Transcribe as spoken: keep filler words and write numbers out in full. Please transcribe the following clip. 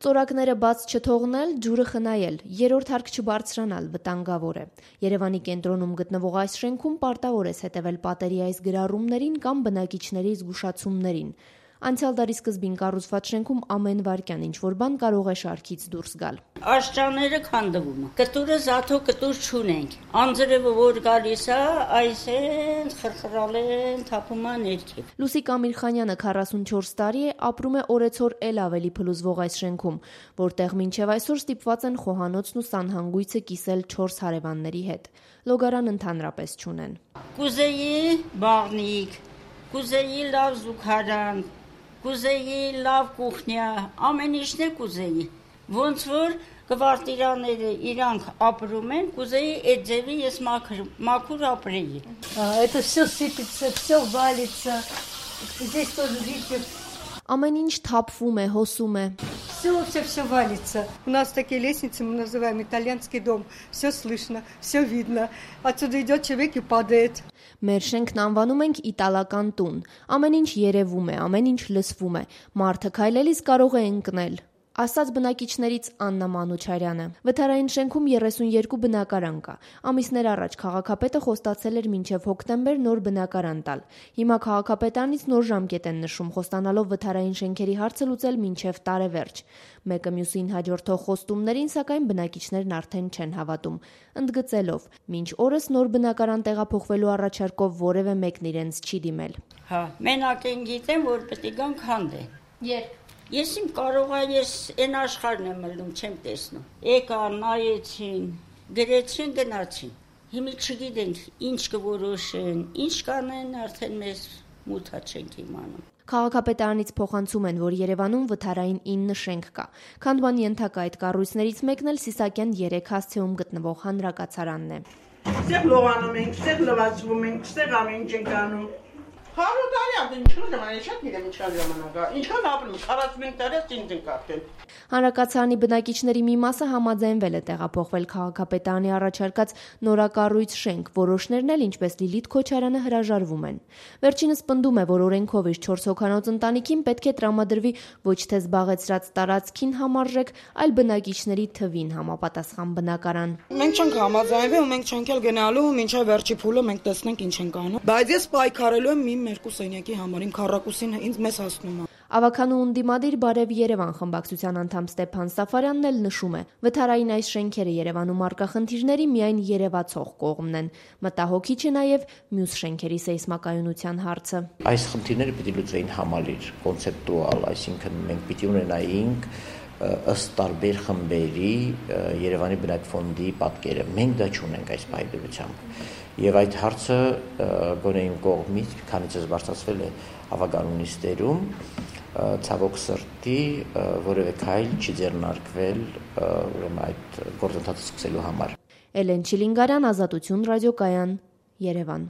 Ծորակները բաց չթողնել, ջուրը խնայել, երրորդ հարկ չբարձրանալ վտանգավոր է։ Երևանի կենտրոնում գտնվող այս շենքում պարտավոր է հետևել պատերի այս գրառումներին կամ բնակիչների զգուշացումներին։ Անցյալ դարի սկզբին կառուցված շենքում ամեն վայրկյան ինչ-որ բան կարող է շարքից դուրս գալ։ Աշճանները քանդվում են, կտուրը զաթո կտուր չունենք, անձրևը որ գալիս է, այս են խրխրալ են, թափում է ներքև։ Լուսիկ Ամիրխանյանը քառասունչորս տարի է, ապրում է օրեցօր էլ ավելի փլուզվող այս շենքում, որտեղ մինչև այսօր ստիպված են խոհանոցն ու սանհանգույցը կիսել չորս հարևանների հետ։ Լոգարան ընդհանրապես չունեն։ Կուզեի բաղնիկ, կուզեի լավ զուգարան, կուզեի լավ կուխնյա, ամեն ինչն է կուզեի, ոնց որ կվարտիրաները իրանք ապրում են, կուզեի այդ ձևի ես մաքուր ապրեի։ Это все сыпется, все валится, здесь тоже, видите, ամեն ինչ թափվում է, հոսում է։ Все, все, все валится. У нас такие лестницы, мы называем итальянский дом. Все слышно, все видно. Отсюда идет человек и падает. Մեր շենքն անվանում ենք իտալական տուն։ Ամեն ինչ երևում է, ամեն ինչ լսվում է։ Մարդը քայլելիս կարող է ընկնել։ Ասաց բնակիչներից Աննա Մանուչարյանը։ Վթարային շենքում երեսունյերկու բնակարան կա։ Ամիսներ առաջ քաղաքապետը խոստացել էր մինչև հոկտեմբեր նոր բնակարան տալ։ Հիմա քաղաքապետանից նոր ժամկետ են նշում, խոստանալով վթարային շենքերի հարցը լուծել մինչև տարեվերջ։ Մեկը մյուսին հաջորդող խոստումներին, սակայն բնակիչներն արդեն չեն հավատում, ընդգծելով. մինչ օրս նոր բնակարան տեղափոխվելու առաջարկով որևէ մեկն իրենց չի դիմել։ Հա, մենակ են գիտեմ, որ պետք է գան քանդեն։ Երբ Ես իմ կարող է ես այն աշխարհն եմ մտնում, չեմ տեսնում։ Եկա, նայեցին, գրեցին, գնացին։ Հիմա չգիտենք ինչ կորոշեն, ինչ կանեն, արդեն մեզ մութա չենք իմանում։ Քաղաքապետարանից փոխանցում են, որ Երևանում վթարային ինը շենք կա։ Քանդման ենթակա այդ կառույցներից մեկն էլ Սիսակյան երեք հասցեում գտնվող հանրակացարանն է։ Ստեղ լողանում ենք, ստեղ լվացվում ենք, ստեղ ամեն ինչ ենք անում։ Հարյուր տարի ապրում, ինչքան ժամանակ, շատ գիտեմ ինչքան ժամանակ է, ինչքան ապրում, քառասունհինգ տարի ինձ ենք ապրել։ Հանրակացարանի բնակիչների մի մասը համաձայնվել է տեղափոխվել քաղաքապետարանի առաջարկած նորակառույց շենք, որոշներն էլ, ինչպես Լիլիթ Քոչարյանը, հրաժարվում են։ Վերջինս պնդում է, որ օրենքով իշ չորս հոգանոց ընտանիքին պետք է տրամադրվի ոչ թե զբաղեցրած տարածքին համարժեք, այլ բնակիչների թվին համապատասխան բնակարան։ Մենք չենք համաձայնվել ու մենք չենք էլ գնալու, մինչև վերջի փուլը մենք տեսնենք ինչ ենք անում։ Բայց ես պայքարելու եմ իմ երկու սենյակի համար, իմ քառակուսին ինձ մեզ հասնում է։ Ավականու ունդիմադիր Բարև Երևան խմբակցության անդամ Ստեփան Սաֆարյանն էլ նշում է. վթարային այս շենքերը Երևանում առկա խնդիրների միայն երևացող կողմն են։ Մտահոգիչ է նաև մյուս շենքերի սեյսմակայունության հարցը։ Այս խնդիրները պիտի լուծվեին համալիր, կոնցեպտուալ, այսինքն մենք պիտի ունենայինք ըստ տարբեր խմբերի Երևանի բնակֆոնդի պատկերը։ Մենք դա չունենք այս պայմանությամբ։ Եվ այդ հարցը գոնե իմ կողմից, քանից ես բարձրացվել է ավականու նիստերում, ցավոք սրտի որևէ քայլ չի ձեռնարկվել ուրեմն այդ գործընթացը սկսելու համար։ Էլեն Չիլինգարյան, Ազատություն ռադիոկայան, Երևան։